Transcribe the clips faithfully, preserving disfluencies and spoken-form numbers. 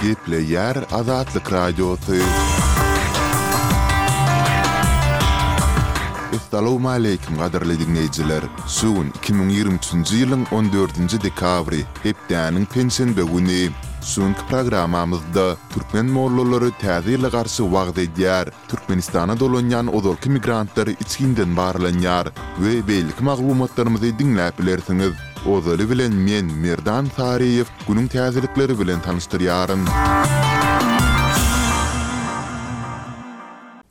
Gepleýär Azatlyk Radiosy. Essalawmaleýkim gadyrly diňleýjiler! Şu gün iki müň ýigrimi üçünji ýylyň on dördünji dekabry, hepdäniň penşenbe güni. Şu günki programmamyzda türkmen mollalary Täze ýyla garşy wagyz edýär, Türkmenistana dolanýan ozalky migrantlar içginden barlanýar we beýleki maglumatlarymyzy diňläp bilersiňiz. Ozaly bilen men, Merdan Saryýew, günüň täzelikleri bilen tanyşdyrýaryn.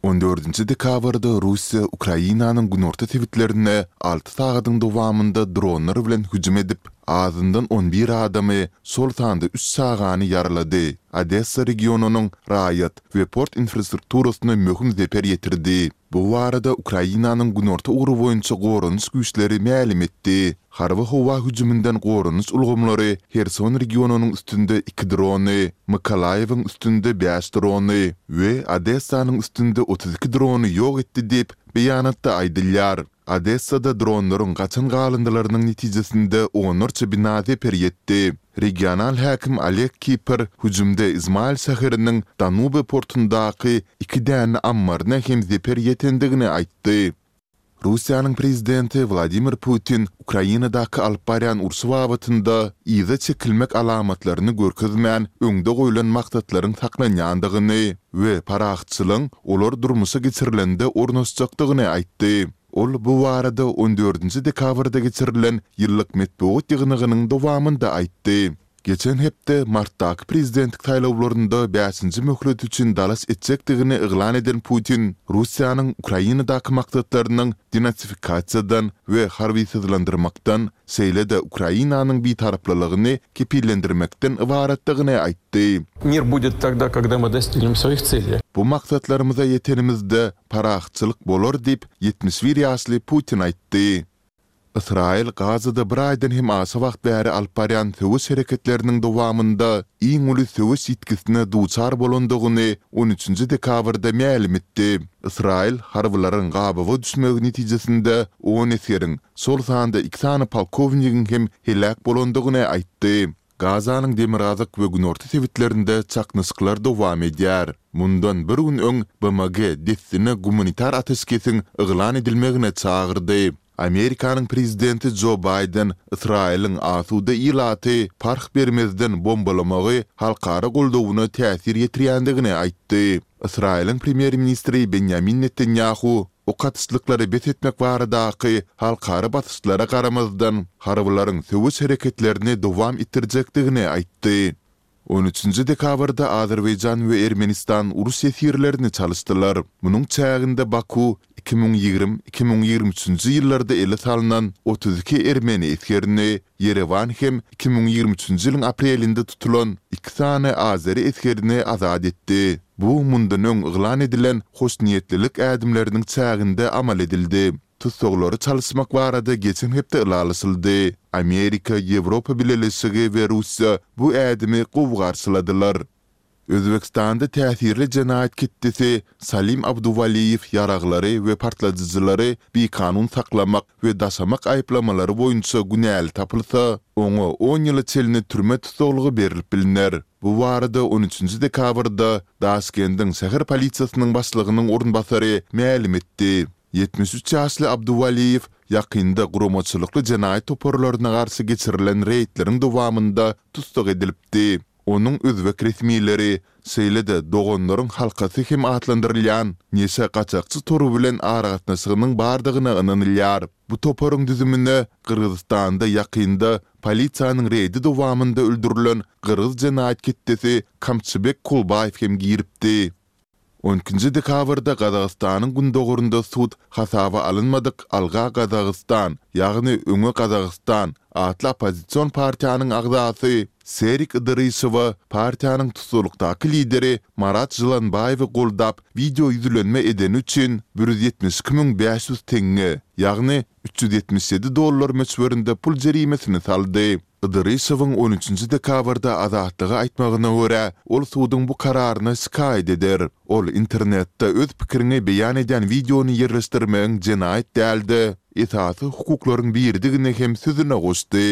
On dördünji dekabrda Russiýa Ukrainanyň günorta sebitlerine alty sagadyň dowamynda dronlar bilen hüjüm edip, azyndan on bir adamy, şol sanda üç çagany ýaralady, Odessa regionynyň raýat we port infrastrukturasyna möhüm zeper ýetirdi. Bu barada Ukrainanyň günorta ugry boýunça goranyş güýçleri mälim etdi. Harby howa hüjüminden goranyş ulgamlary Herson regionynyň üstünde iki drony, Mykolaýewiň üstünde bäş drony we Odessanyň üstünde otuz iki drony ýok etdi diýip, beýanatda aýdylýar. Odessada dronlaryň gaçan galyndylarynyň netijesinde onlarça bina zeper ýetdi. Regional häkim Oleg Kiper hüjümde Izmail şäheriniň Danube portundaky iki däne ammaryna hem zeper ýetendigini aýtdy. Russiýanyň prezidenti Wladimir Putin Ukrainadaky alyp barýan urşy babatynda yza çekilmek alamatlaryny görkezmän, öňde goýlan maksatlaryň saklanýandygyny we parahatçylygyň olar durmuşa geçirilende ornaşjakdygyny aýtdy. Ol bu barada on dördünji dekabrda geçirilen ýyllyk metbugat ýygnagynyň dowamynda aýtdy. Geçen hepde martdaky prezidentlik saýlawlarynda bäşinji möhlet üçin dalaş etjekdigini yglan eden Putin Russiýanyň Ukrainadaky maksatlarynyň denatsifikasiýadan we harbysyzlandyrmakdan, şeýle-de Ukrainanyň bitaraplylygyny kepillendirmekden ybaratdygyny aýtdy. Mir budet togda, kogda my dostignem svoih tseley. Bu maksatlarymyza ýetenimizde parahatçylyk bolar diýip, ýetmiş bir ýaşly Putin aýtdy. Ysraýyl Gazada bir aýdan hem aşa wagt bäri alyp barýan söweş hereketleriniň dowamynda iň uly söweş ýitgisine duçar bolandygyny on üçünji dekabrda mälim etdi. Ysraýyl harbylaryň gabawa düşmegi netijesinde on esgeriň, şol sanda iki sany polkownigiň hem heläk bolandygyny aýtdy. Gazanyň demirgazyk we günorta sebitlerinde çaknyşyklar dowam edýär. Mundan bir gün öň B M G dessine gumanitar ateşkesiň yglan edilmegine çagyrdy. Amerikanyň prezidenti Jo Baýden Ysraýylyň asuda ilaty parh bermezden bombalamagy halkara goldawyna täsir ýetirýändigini aýtdy. Ysraýylyň premýer-ministri Benýamin Netanýahu ok atyşlyklary bes etmek baradaky halkara basyşlara garamazdan, harbylaryň söweş hereketlerini dowam etdirjekdigini aýtdy. On üçünji dekabrda Azerbaýjan we Ermenistan uruş ýesirlerini çalyşdylar. Munuň çäginde Baku iki müň ýigrimi, iki müň ýigrimi üçünji ýyllarda ele salnan otuz iki ermeni esgerini, Ýerewan hem iki müň ýigrimi üçünji ýylyň aprelinde tutulan iki sany azeri esgerini azat etdi. Bu mundan öň yglan edilen hoşniýetlilik ädimleriniň çäginde amal edildi. Tussaglary çalyşmak barada geçen hepde ylalaşyldy. Amerika, Ýewropa Bileleşigi we Russiýa bu ädimi gowy garşyladylar. Özbegistanda täsirli jenaýat ketdesi Salim Abduwaliýew ýaraglary we partladyjylary bikanun saklamak we daşamak aýyplamalary boýunça günäli tapylsa, oňa on ýyla çenli türme tussaglygy berlip bilner. Bu barada on üçünji dekabrda Daşkendiň şäher polisiýasynyň başlygynyň orunbasary mälim etdi. Ýetmiş üç ýaşly Abduwaliýew ýakynda guramaçylykly jenaýat toparlaryna garşy geçirilen reýdleriň dowamynda tussag edilipdi. Onuň özbek resmileri, şeýle-de Doganlaryň halkasy hem atlandyrylýan neşe gaçakçy tory bilen aragatnaşygynyň bardygyna ynanylýar. Bu toparyň düzümine Gyrgyzystanda ýakynda polisiýanyň reýdi dowamynda öldürilen gyrgyz jenaýat ketdesi Kamçybek Kulbaýew hem giripdi. On ikinji dekabrda Gazagystanyň gündogarynda sud hasaba alynmadyk Alga Gazagystan, ýagny Öňe Gazagystan atly oppozision partiýanyň agzasy Serik Ydyryşowa partiýanyň tussaglykdaky lideri Marat Žylanbaýewi goldap wideo ýüzlenme edeni üçin bir ýüz ýetmiş iki müň bäş ýüz teňňe, ýagny üç ýüz ýetmiş ýedi dollar möçberinde pul jerimesini saldy. Ydyryşowyň on üçünji dekabrda Azatlyga aýtmagyna görä, ol suduň bu kararyna şikaýat eder. Ol internetde öz pikiriňi beýan edýän wideony ýerleşdirmegiň jenaýat däl-de, esasy hukuklaryň biridigini hem sözüne goşdy.